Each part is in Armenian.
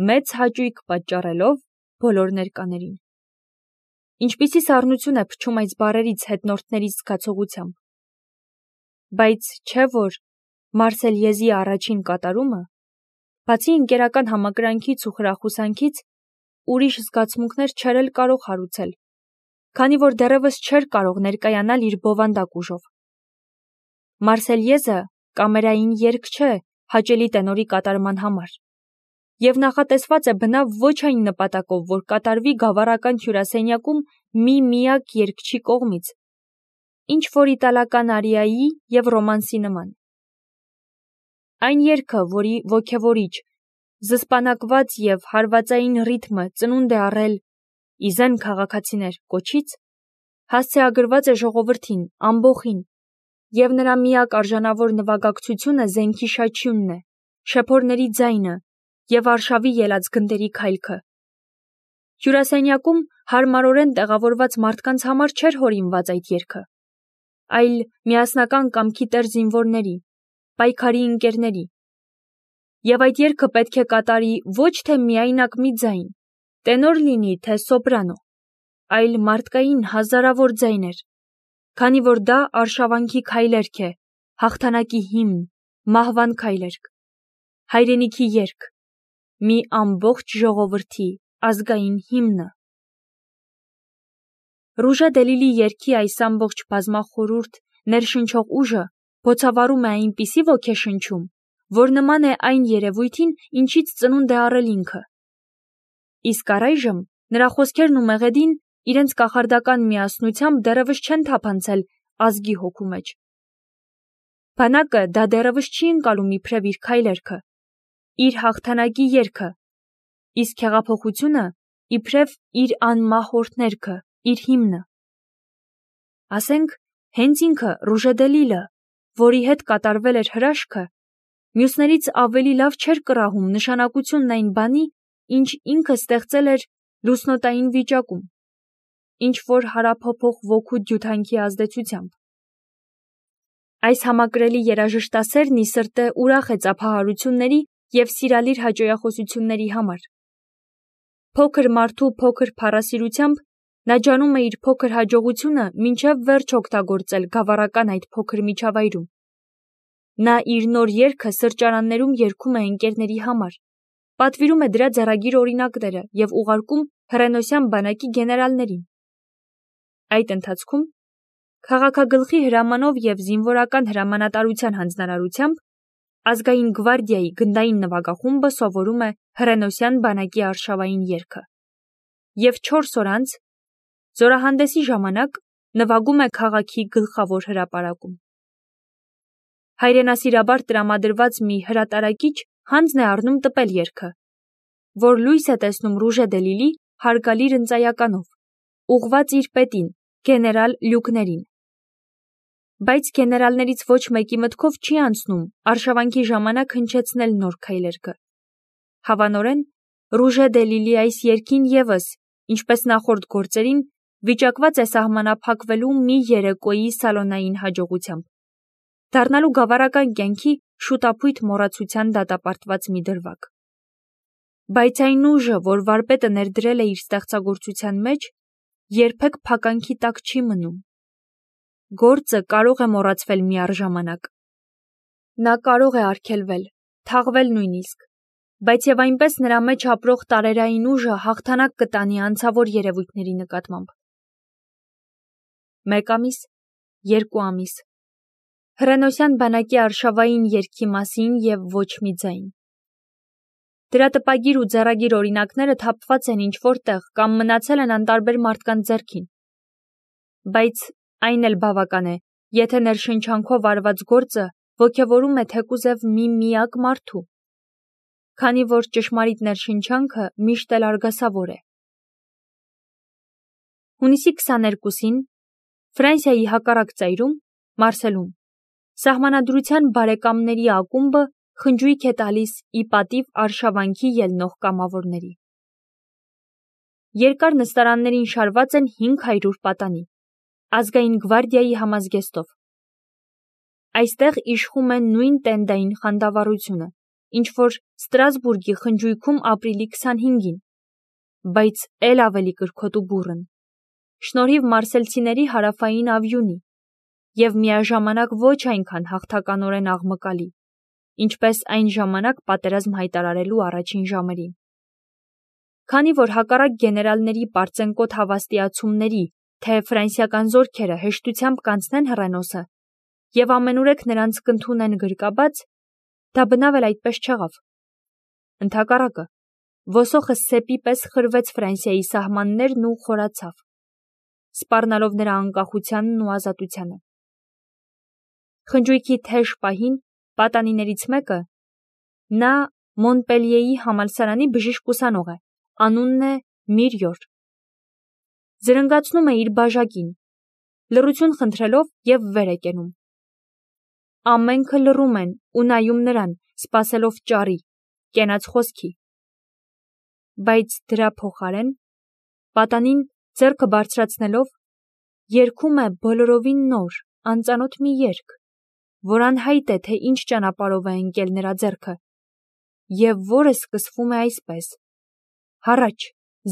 մեծ հաճույք պատճառելով բոլոր ներկաներին։ Ինչպիսի սառնություն է փչում այս բառերից հետնորդների զգացողությամբ։ Բայց չէ՞ որ Մարսելյեզի առաջին կատարումը, բացի ընկերական համակրանքից ու խրախուսանքից, ուրիշ զգացմունքներ չէր էլ կարող հարուցել, քանի որ դեռևս չէր կարող ներկայանալ իր բովանդակ ուժով։ Մարսելյեզը կամերային երգ չէ հաճելի տենորի կատարման համար, և նախատեսված է բնավ ոչ այն նպատակով, որ կատարվի գավառական հյուրասենյակում մի միակ երգչի կողմից, ինչ որ իտալական արիայի և ռոմանսի նման։ Այն երգը, որի ոգևորիչ, զսպանակված և հարվածային ռիթմը ծնունդ է առել «Իզեն քաղաքացիներ» կոչից, հասցեագրված է ժողովրդին, ամբոխին, և նրա միակ արժանավոր նվագակցությունը զենքի շաչյունն է, շեփորների ձայնը և արշավի ելած գնդերի քայլքը։ Հյուրասենյակում հարմարորեն տեղավորված մարդկանց համար չէր հորինված այդ երգը, այլ միասնական կամքի տեր զինվորների, պայքարի ընկերների։ Եվ այդ երգը պետք է կատարի ոչ թե միայնակ մի ձայն, տենոր լինի, թե սոպրանո, այլ մարդկային հազարավոր ձայներ, քանի որ դա արշավանքի քայլերք է, հաղթանակի հիմն, մահվան քայլերք, հայրենիքի երգ, մի ամբողջ ժողովրդի ազգային հիմնը։ Ռուժե դե Լիլի երգի այս ամբողջ բազմախորհուրդ ներշնչող ուժը բոցավառում է այնպիսի ոգեշնչում, որ նման է այն երևույթին, ինչից ծնունդ է առել ինքը։ Իսկ առայժմ նրա խոսքերն ու մեղեդին իրենց կախարդական միասնությամբ դեռևս չեն թափանցել ազգի հոգու մեջ։ Բանակը դա դեռևս չի ընկալում իբրև իր քայլերքը, իր հաղթանակի երգը, իսկ հեղափոխությունը իբրև իր անմահորդ ներքը, իր հիմնը։ Ասենք, հենց ինքը Ռուժե դե Լիլը, որի հետ կատարվել էր հրաշքը, մյուսներից ավելի լավ չէր կռահում նշանակությունն այն բանի, ինչ ինքը ստեղծել էր լուսնոտային վիճակում, ինչ որ հարափոփող ոգու դյութանքի ազդեցությամբ։ Այս համակրելի երաժշտասերն ի սրտե ուրախ է ծափահարությունների և սիրալիր հաճոյախոսությունների համար։ Փոքր մարդու փոքր փառասիրությամբ նա ջանում է իր փոքր հաջողությունը մինչև վերջ օգտագործել գավառական այդ փոքր միջավայրում։ Նա իր նոր երգը սրճարաններում երգում է ընկերների համար, պատվիրում է դրա ձեռագիր օրինակները և ուղարկում հռենոսյան բանակի գեներալներին։ Այդ ընթացքում քաղաքագլխի հրամանով և զինվորական հրամանատարության հանձնարարությամբ ազգային գվարդիայի գնդային նվագախումբը սովորում է հռենոսյան բանակի արշավային երգը և 4 օր անց, զորահանդեսի ժամանակ, նվագում է քաղաքի գլխավոր հրապարակում։ Հայրենասիրաբար տրամադրված մի հրատարակիչ հանձն է առնում տպել երգը, որ լույս է տեսնում Ռուժե դե Լիլի հարգալի ընծայականով, ուղղված իր պետին, գեներալ Լյուկներին։ Բայց գեներալներից ոչ մեկի մտքով չի անցնում արշավանքի ժամանակ հնչեցնել նոր քայլերգը։ Հավանորեն, Ռուժե դե Լիլի այս երգին ևս, ինչպես նախորդ գործերին, վիճակված է սահմանափակվելու մի երեկոյի սալոնային հաջողությամբ, դառնալու գավառական կյանքի շուտափույթ մոռացության դատապարտված մի դրվագ։ Բայց այն ուժը, որ վարպետը ներդրել է իր ստեղծագործության մեջ, երբեք փականքի տակ չի մնում։ Գործը կարող է մոռացվել միառժամանակ։ Նա կարող է արգելվել, թաղվել նույնիսկ, բայց և այնպես նրա մեջ ապրող տարերային ուժը հաղթանակ կտանի անցավոր երևույթների նկատմամբ։ 1 ամիս, 2 ամիս, հռենոսյան բանակի արշավային երգի մասին և ոչ մի ձայն։ Դրա տպագիր ու ձեռագիր օրինակները թափված են ինչ-որ տեղ կամ մնացել են անտարբեր մարդկանց ձեռքին։ Բայց այն էլ բավական է, եթե ներշնչանքով արված գործը ոգևորում է թեկուզև մի միակ մարդու, քանի որ ճշմարիտ ներշնչանքը միշտ էլ արգասավոր է։ Հունիսի 22-ին Ֆրանսիայի հակառակ ծայրում, Մարսելում, Սահմանադրության բարեկամների ակումբը խնջույք է տալիս ի պատիվ արշավանքի ելնող կամավորների։ Երկար նստարաններին շարված են 500 պատանի, ազգային գվարդիայի համազգեստով։ Այստեղ իշխում է նույն տենդային խանդավառությունը, ինչ որ Ստրասբուրգի խնջույքում ապրիլի 25-ին, բայց էլ ավելի կրքոտ ու բուռն, շնորհիվ մարսելցիների հարավային ավյունի և միաժամանակ ոչ այնքան հաղթականորեն աղմկալի, ինչպես այն ժամանակ պատերազմ հայտարարելու առաջին ժամերին։ Քանի որ հակառակ գեներալների պարծենկոտ հավաստիացումների, թե ֆրանսիական զորքերը հեշտությամբ կանցնեն Հռենոսը և ամենուրեք նրանց կընդունեն գրկաբաց, դա բնավ էլ այդպես չեղավ։ Ընդհակառակը, ոսոխը սեպի պես խրվեց Ֆրանսիայի սահմաններն ու խորացավ, սպառնալով նրա անկախությանն ու ազատությանը։ Խնջույքի թեժ պահին պատանիներից մեկը, նա Մոնպելիեի համալսարանի բժիշկ ուսանող է, անունն է Միրյոր, զրնգացնում է իր բաժակին, լռություն խնդրելով և վեր է կենում։ Ամենքը լռում են ու նայում նրան, սպասելով ճառի, կենաց խոսքի։ Բայց դրա փոխարեն պատանին ձեռքը բարձրացնելով երգում է բոլորովին նոր, անծանոթ մի երգ, որ անհայտ է, թե ինչ ճանապարհով է ընկել նրա ձեռքը, և որը սկսվում է այսպես. «Հառաչ,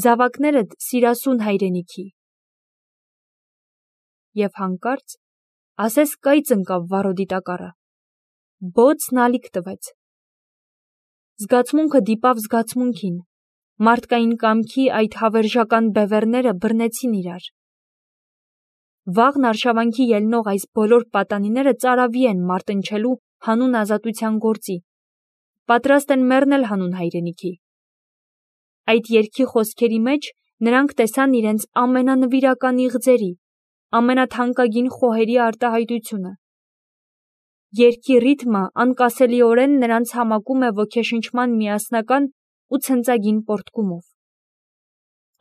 զավակներդ սիրասուն հայրենիքի»։ Եվ հանկարծ ասես կայծ ընկավ վառոդի տակառը, բոցն ալիք տվեց։ Զգացմունքը դիպավ զգացմունքին, մարդկային կամքի այդ հավերժական բևեռները բռնեցին իրար։ Վաղն արշավանքի ելնող այս բոլոր պատանիները ծարավի են մարտնչելու հանուն ազատության գործի, պատրաստ են մեռնել հանուն հայրենիքի։ Այդ երգի խոսքերի մեջ նրանք տեսան իրենց ամենանվիրական իղձերի, ամենաթանկագին խոհերի արտահայտությունը։ Երգի ռիթմը անկասելիորեն նրանց համակում է ոգեշնչման միասնական ու ցնծագին պոռթկումով։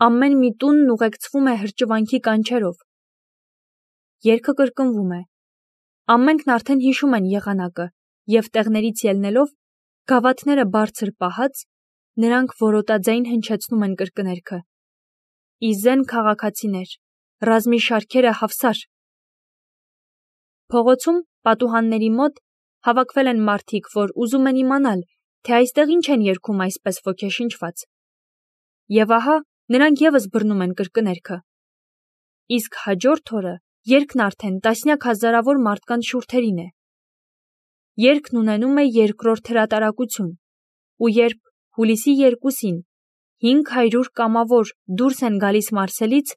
Ամեն մի տունն ուղեկցվում է հրճվանքի կանչերով։ Երգը կրկնվում է։ Ամենքն արդեն հիշում են եղանակը, և տեղներից ելնելով, գավաթները բարձր պահած, նրանք որոտաձայն հնչեցնում են կրկներգը. «Իզեն քաղաքացիներ, ռազմի շարքերը հավսար»։ Փողոցում, պատուհանների մոտ հավաքվել են մարդիկ, որ ուզում են իմանալ, թե այստեղ ինչ են երգում այսպես ոգեշնչված։ Եվ ահա նրանք ևս բռնում են կրկներգը։ Իսկ հաջորդ օրը երգն արդեն տասնյակ հազարավոր մարդկանց շուրթերին է։ Երգն ունենում է երկրորդ հրատարակություն, ու երբ հուլիսի 2-ին 500 կամավոր դուրս են գալիս Մարսելից,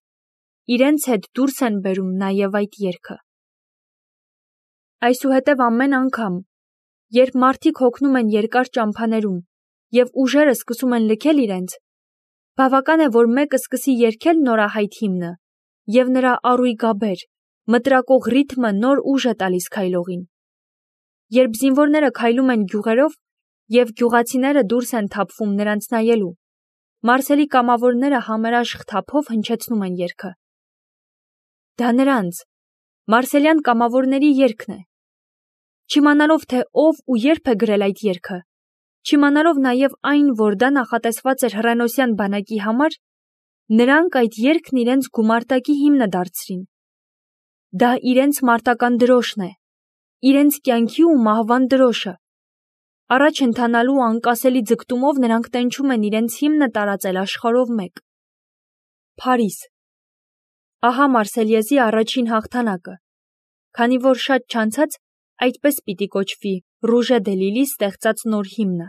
իրենց հետ դուրս են բերում նաև այդ երգը։ Այսուհետև ամեն անգամ, երբ մարդիկ հոգնում են երկար ճամփաներում և ուժերը սկսում են լքել իրենց, բավական է, որ մեկը սկսի երգել նորահայտ հիմնը, և նրա առույգաբեր, մտրակող ռիթմը նոր ուժ է տալիս քայլողին։ Երբ զինվորները քայլում են գյուղերով և գյուղացիները դուրս են թափվում նրանց նայելու, Մարսելի կամավորները համերաշխ թափով հնչեցնում են երգը։ Դա նրանց, մարսելյան կամավորների երգն է։ Չիմանալով, թե ով ու երբ է գրել այդ երգը, չիմանալով նաև այն, որ դա նախատեսված էր հռենոսյան բանակի համար, նրանք այդ երգն իրենց գումարտակի հիմնը դարձրին։ Դա իրենց մարտական դրոշն է, իրենց կյանքի ու մահվան դրոշը։ Առաջ ընթանալու անկասելի ձգտումով նրանք տենչում են իրենց հիմնը տարածել աշխարհով մեկ։ Փարիզ։ Ահա Մարսելիեզի առաջին հաղթանակը, քանի որ շատ չանցած այդպես պիտի կոչվի Ռուժե դե Լիլի ստեղծած նոր հիմնը։